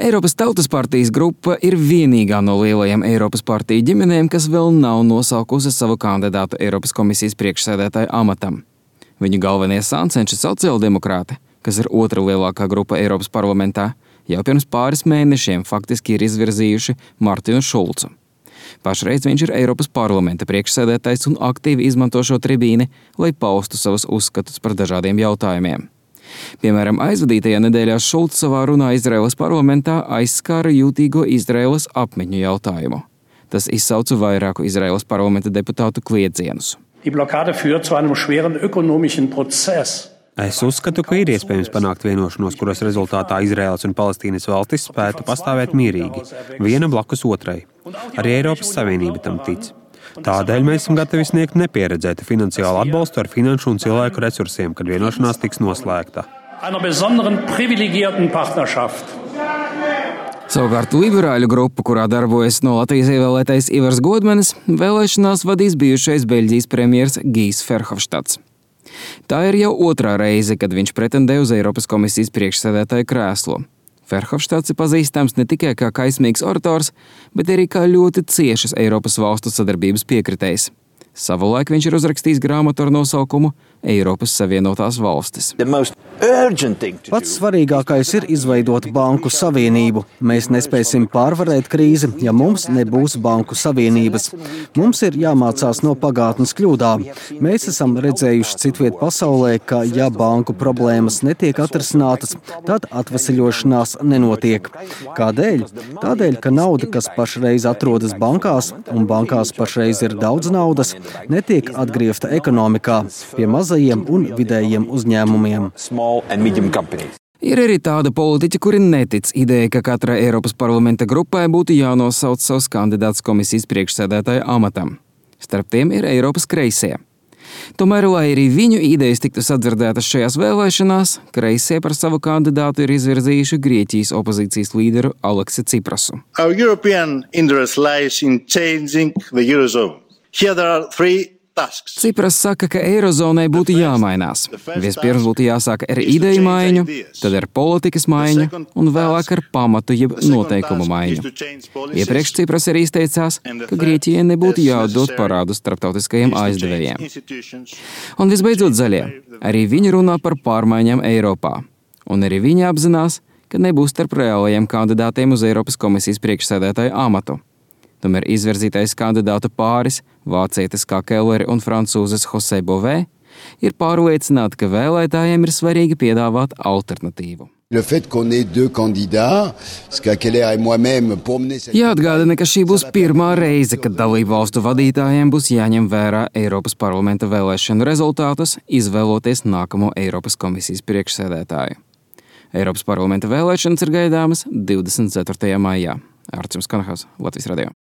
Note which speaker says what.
Speaker 1: Eiropas Tautas partijas grupa ir vienīgā no lielajām Eiropas partiju ģimenēm, kas vēl nav nosaukusi savu kandidātu Eiropas komisijas priekšsēdētāja amatam. Viņu galvenie sāncenši sociāldemokrāti, kas ir otra lielākā grupa Eiropas parlamentā, jau pirms pāris mēnešiem faktiski ir izvirzījuši Martinu Šulcu. Pašreiz viņš ir Eiropas parlamenta priekšsēdētājs un aktīvi izmanto šo tribīni, lai paustu savus uzskatus par dažādiem jautājumiem. Piemēram, aizvadītajā nedēļā Šulcs savā runā Izraēlas parlamentā aizskāra jūtīgo Izraēlas apmetņu jautājumu. Tas izsauca vairāku Izraēlas parlamenta deputātu kliedzienus.
Speaker 2: Es uzskatu, ka ir iespējams panākt vienošanos, kuras rezultātā Izraēlas un Palestīnas valstis spētu pastāvēt mierīgi, viena blakus otrai. Arī Eiropas Savienība tam tic. Tādēļ mēs esam gatavi sniegt nepieredzētu finansiālu atbalstu ar finanšu un cilvēku resursiem, kad vienošanās tiks noslēgta.
Speaker 1: Savukārt liberāļu grupu, kurā darbojas no Latvijas ievēlētais Ivars Godmanis, vēlēšanās vadīs bijušais Beļģijas premjers Gijs Ferhofštats. Tā ir jau otrā reize, kad viņš pretendē uz Eiropas komisijas priekšsēdētāja krēslu. Ferhofštats ir pazīstams ne tikai kā kaismīgs orators, bet arī kā ļoti ciešas Eiropas valstu sadarbības piekritējs. Savulaik viņš ir uzrakstījis grāmatu ar nosaukumu Eiropas Savienotās valstis.
Speaker 3: Pats svarīgākais ir izveidot banku savienību. Mēs nespēsim pārvarēt krīzi, ja mums nebūs banku savienības. Mums ir jāmācās no pagātnes kļūdām. Mēs esam redzējuši citviet pasaulē, ka ja banku problēmas netiek atrisinātas, tad atveseļošanās nenotiek. Kādēļ? Tādēļ, ka nauda, kas pašreiz atrodas bankās, un bankās pašreiz ir daudz naudas, netiek atgriezta ekonomikā pie mazajiem un vidējiem uzņēmumiem.
Speaker 1: Ir arī tāda politiķa, kuri netic ideja, ka katrai Eiropas parlamenta grupai būtu jānosauc savs kandidāts komisijas priekšsēdētāja amatam. Starp tiem ir Eiropas kreisie. Tomēr, lai arī viņu idejas tiktu sadzirdētas šajās vēlēšanās, kreisie par savu kandidātu ir izvirzījuši Grieķijas opozīcijas līderu Aleksi Ciprasu. Cipras saka, ka Eirozonai būtu jāmainās. Vispirms būtu jāsāk ar ideju maiņu, tad ar politikas maiņu un vēlāk ar pamatu jeb noteikumu maiņu. Iepriekš Cipras arī izteicās, ka Grieķijai nebūtu jāatdod parādus starptautiskajiem aizdevējiem. Un visbeidzot zaļie. Arī viņi runā par pārmaiņām Eiropā. Un arī viņi apzinās, ka nebūs starp reālajiem kandidātiem uz Eiropas komisijas priekšsēdētāja amatu. Tomēr izvirzītais kandidātu pāris, vācietis kā Kelleri un francūzes José Bové, ir pārliecināti, ka vēlētājiem ir svarīgi piedāvāt alternatīvu. Jāatgādina, ka šī būs pirmā reize, kad dalību valstu vadītājiem būs jāņem vērā Eiropas parlamenta vēlēšanu rezultātus, izvēloties nākamo Eiropas komisijas priekšsēdētāju. Eiropas parlamenta vēlēšanas ir gaidāmas 24. maijā. Arčuns Kanahas, Latvijas radio.